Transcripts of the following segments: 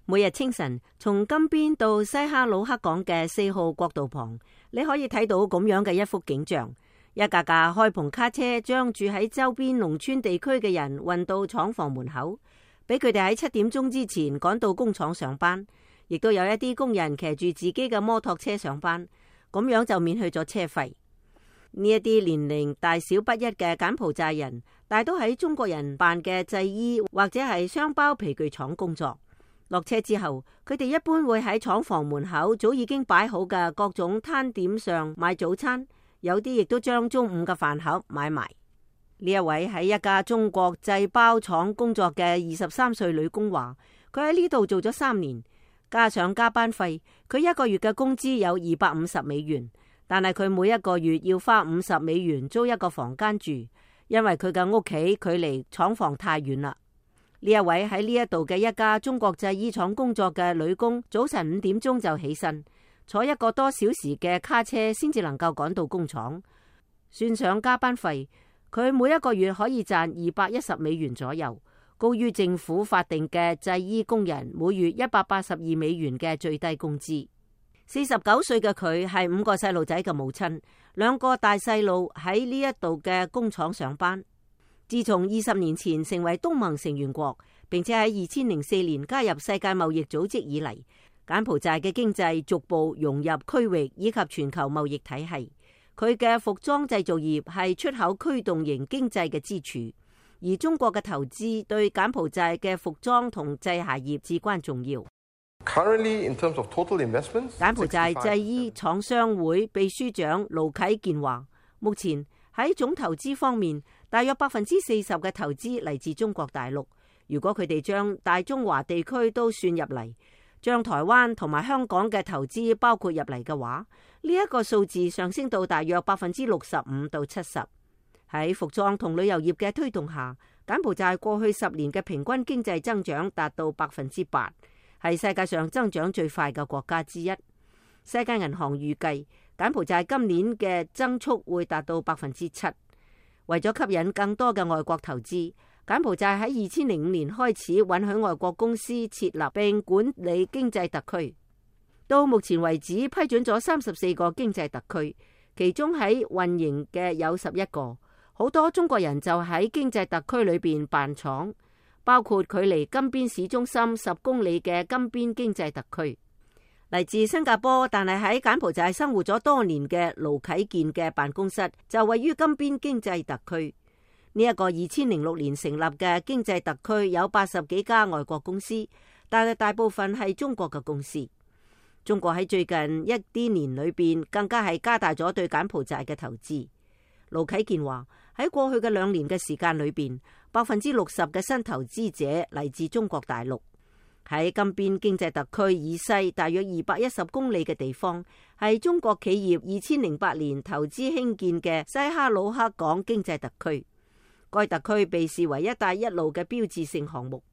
每日清晨從金邊到西哈努克港嘅4號國道旁，你可以睇到咁樣嘅一幅景象：一架架開篷卡車將住喺周邊農村地區嘅人運到廠房門口，俾佢哋喺7點鐘之前趕到工廠上班。亦都有一啲工人騎住自己嘅摩托車上班，咁樣就免去咗車費。呢一啲年齡大小不一嘅柬埔寨人，大都喺中國人辦嘅製衣或者係雙包皮具廠工作。落車之後，佢哋一般會喺廠房門口早已經擺好嘅各種攤點上買早餐，有啲亦都將中午嘅飯盒買埋。呢一位喺一家中國製包廠工作嘅23歲女工話，佢喺呢度做咗3年，加上加班費，佢一個月嘅工資有250美元，但係佢每一個月要花50美元租一個房間住，因為佢嘅屋企距離廠房太遠啦。呢一位喺呢一度嘅一家中國製衣廠工作嘅女工，早晨5點鐘就起身，坐1個多小時嘅卡車先至能夠趕到工廠。算上加班費，佢每一個月可以賺210美元左右，高於政府法定嘅製衣工人每月182美元嘅最低工資。49歲嘅佢係5個細路仔嘅母親，2個大細路喺呢一度嘅工廠上班。自從20年前成為東盟成員國，並且喺2004年加入世界貿易組織以嚟，柬埔寨嘅經濟逐步融入區域以及全球貿易體系。佢嘅服裝製造業係出口驅動型經濟嘅支柱，而中國嘅投資對柬埔寨嘅服裝同製鞋業至關重要。Currently, in terms of total investments, 柬埔寨製衣廠商會秘書長盧啟健話，目前喺總投資方面，大約40%嘅投資嚟自中國大陸。如果佢哋將大中華地區都算入嚟，將台灣同埋香港嘅投資包括入嚟嘅話，呢一個數字上升到大約65%到70%。喺服裝同旅遊業嘅推動下，柬埔寨過去10年嘅平均經濟增長達到8%，係世界上增長最快嘅國家之一。世界銀行預計柬埔寨今年嘅增速會達到7%。為咗吸引更多嘅外國投資，柬埔寨喺2005年開始允許外國公司設立並管理經濟特區。到目前為止批准咗34個經濟特區，其中喺運營嘅有11個。好多中國人就喺經濟特區裏邊辦廠，包括距離金邊市中心10公里嘅金邊經濟特區。嚟自新加坡但係喺柬埔寨生活咗多年嘅盧啟健嘅辦公室就位於金邊經濟特區。呢一個2006年成立嘅經濟特區有80幾家外國公司，但係大部分係中國嘅公司。中國喺最近一啲年裏邊更加係加大咗對柬埔寨嘅投資。盧啟健話，喺過去嘅2年嘅時間裏邊，60%嘅新投資者嚟自中國大陸。喺金邊經濟特區以西大約210公里嘅地方，係中國企業2008年投資興建嘅西哈努克港經濟特區。該特區被視為一帶一路嘅標誌性項目。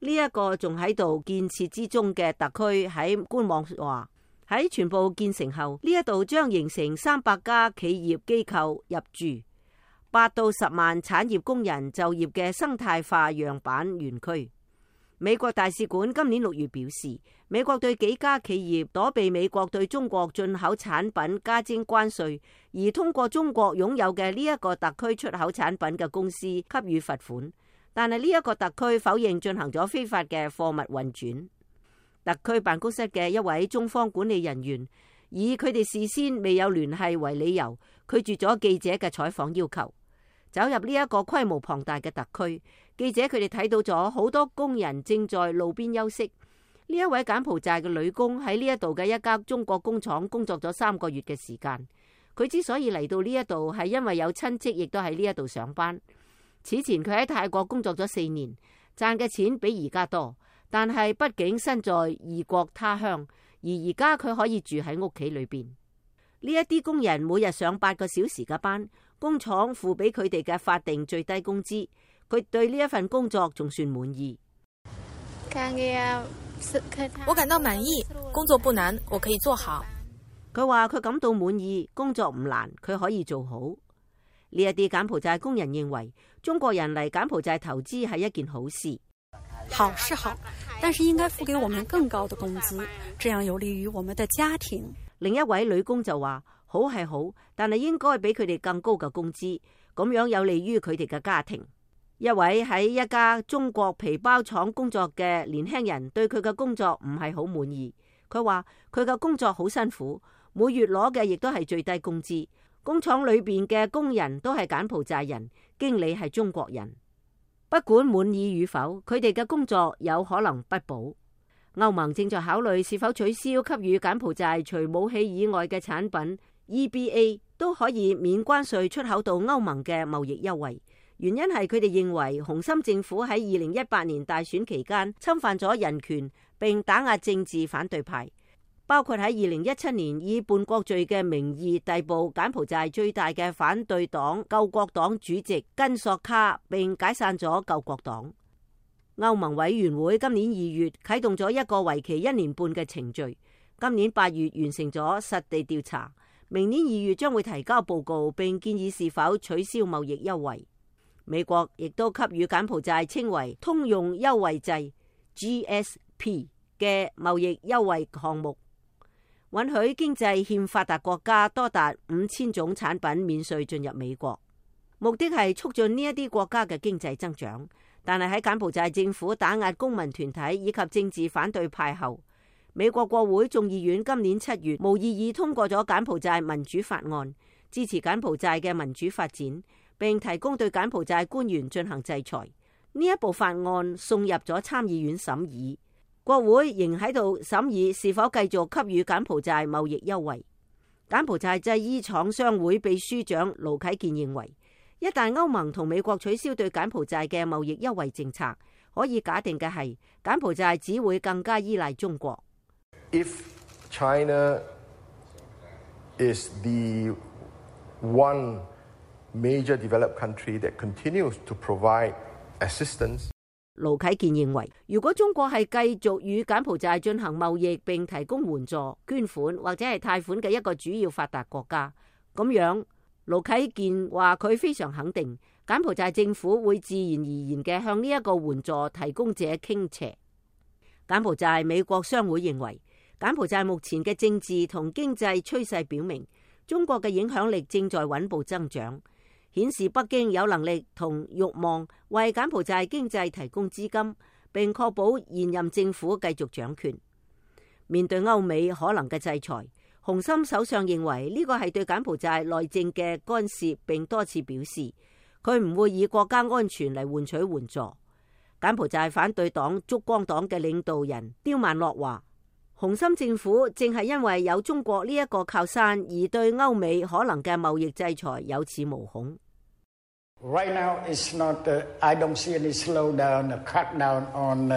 呢一個仲喺度建設之中嘅特區喺官網話，喺全部建成後，呢一度將形成300家企業機構入駐，8到10萬產業工人就業嘅生態化樣板園區。美國大使館今年6月表示，美國對幾家企業躲避美國對中國進口產品加徵關稅，而通過中國擁有嘅呢一個特區出口產品嘅公司給予罰款。但係呢一個特區否認進行咗非法嘅貨物運轉。特區辦公室嘅一位中方管理人員以佢哋事先未有聯繫為理由，拒絕咗記者嘅採訪要求。走入呢一個規模龐大嘅特區，記者佢哋睇到咗好多工人正在路邊休息。呢一位柬埔寨嘅女工喺呢一度嘅一家中國工廠工作咗3個月嘅時間。佢之所以嚟到呢一度係因為有親戚亦都喺呢一度上班。此前佢喺泰國工作咗4年，賺嘅錢比而家多，但係畢竟身在異國他鄉，而而家佢可以住喺屋企裏邊。呢一啲工人每日上8個小時嘅班，工廠付俾佢哋嘅法定最低工資，佢對呢一份工作仲算滿意。我感到滿意，工作不難，我可以做好。佢話佢感到滿意，工作唔難，佢可以做好。呢一啲柬埔寨工人認為，中國人嚟柬埔寨投資係一件好事。好是好，但是應該付給我們更高的工資，這樣有利於我們的家庭。另一位女工就話：好係好，但係應該俾佢哋更高嘅工資，咁樣有利於佢哋嘅家庭。一位喺一家中國皮包廠工作嘅年輕人對佢嘅工作唔係好滿意。佢話佢嘅工作好辛苦，每月攞嘅亦都係最低工資。工廠裏邊嘅工人都係柬埔寨人，經理係中國人。不管滿意與否，佢哋嘅工作有可能不保。歐盟正在考慮是否取消給予柬埔寨除武器以外嘅產品 EBA 都可以免關稅出口到歐盟嘅貿易優惠。原因係佢哋認為洪森政府喺2018年大選期間侵犯咗人權，並打壓政治反對派，包括喺2017年以叛國罪嘅名義逮捕柬埔寨最大嘅反對黨救國黨主席根索卡，並解散咗救國黨。歐盟委員會今年2月啟動咗一個為期1年半嘅程序，今年8月完成咗實地調查，明年2月將會提交報告，並建議是否取消貿易優惠。美國亦都給予柬埔寨稱為通用優惠制 GSP 嘅貿易優惠項目，允許經濟欠發達國家多達5000種產品免稅進入美國，目的係促進呢一啲國家嘅經濟增長。但係喺柬埔寨政府打壓公民團體以及政治反對派後，美國國會眾議院今年7月無異議通過咗柬埔寨民主法案，支持柬埔寨嘅民主發展，並提供對柬埔寨官員進行制裁。呢一部法案送入咗參議院審議，國會仍喺度審議是否繼續給予柬埔寨貿易優惠。柬埔寨製衣廠商會秘書長盧啟健認為，一旦歐盟同美國取消對柬埔寨嘅貿易優惠政策，可以假定嘅係柬埔寨只會更加依賴中國。If China is the one major developed country that continues to provide assistance，盧啟健認為，如果中國係繼續與柬埔寨進行貿易並提供援助、捐款或者係貸款嘅一個主要發達國家，咁樣盧啟健話佢非常肯定柬埔寨政府會自然而然嘅向呢一個援助提供者傾斜。柬埔寨美國商會認為，柬埔寨目前嘅政治同經濟趨勢表明，中國嘅影響力正在穩步增長，顯示北京有能力同慾望為柬埔寨經濟提供資金，並確保現任政府繼續掌權。面對歐美可能嘅制裁，洪森首相認為呢個係對柬埔寨內政嘅干涉，並多次表示佢唔會以國家安全嚟換取援助。柬埔寨反對黨燭光黨嘅領導人刁曼諾話，洪森政府正係因為有中國呢一個靠山，而對歐美可能嘅貿易制裁有恃無恐。Right now, it's not. I don't see any slowdown, a crackdown on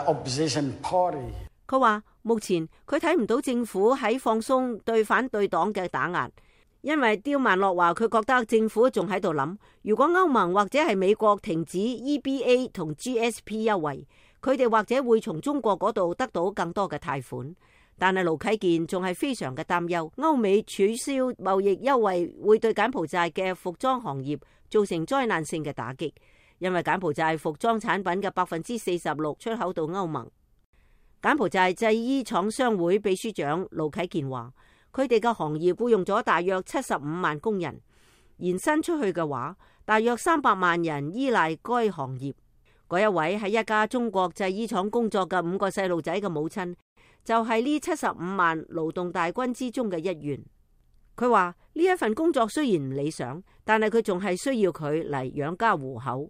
opposition party. 佢話目前佢睇唔到政府喺放鬆對反對黨嘅打壓，因為刁曼諾話佢覺得政府仲喺度諗，如果歐盟或者係美國停止 EBA 同 GSP 優惠，佢哋或者會從中國嗰度得到更多嘅貸款。但係盧啟健仲係非常嘅擔憂，歐美取消貿易優惠會對柬埔寨嘅服裝行業造成災難性嘅打擊，因為柬埔寨服裝產品嘅46%出口到歐盟。柬埔寨製衣廠商會秘書長盧啟健話，佢哋嘅行業僱用咗大約75萬工人，延伸出去嘅話，大約300萬人依賴該行業。嗰一位喺一家中國製衣廠工作嘅5個細路仔嘅母親，就係呢75萬勞動大軍之中嘅一員。佢話呢一份工作雖然唔理想，但係佢仲係需要佢嚟養家糊口。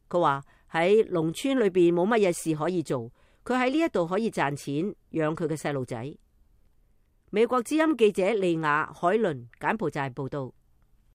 佢話喺農村裏邊冇乜嘢事可以做，佢喺呢一度可以賺錢養佢嘅細路仔。美國之音記者利亞海倫柬埔寨報道。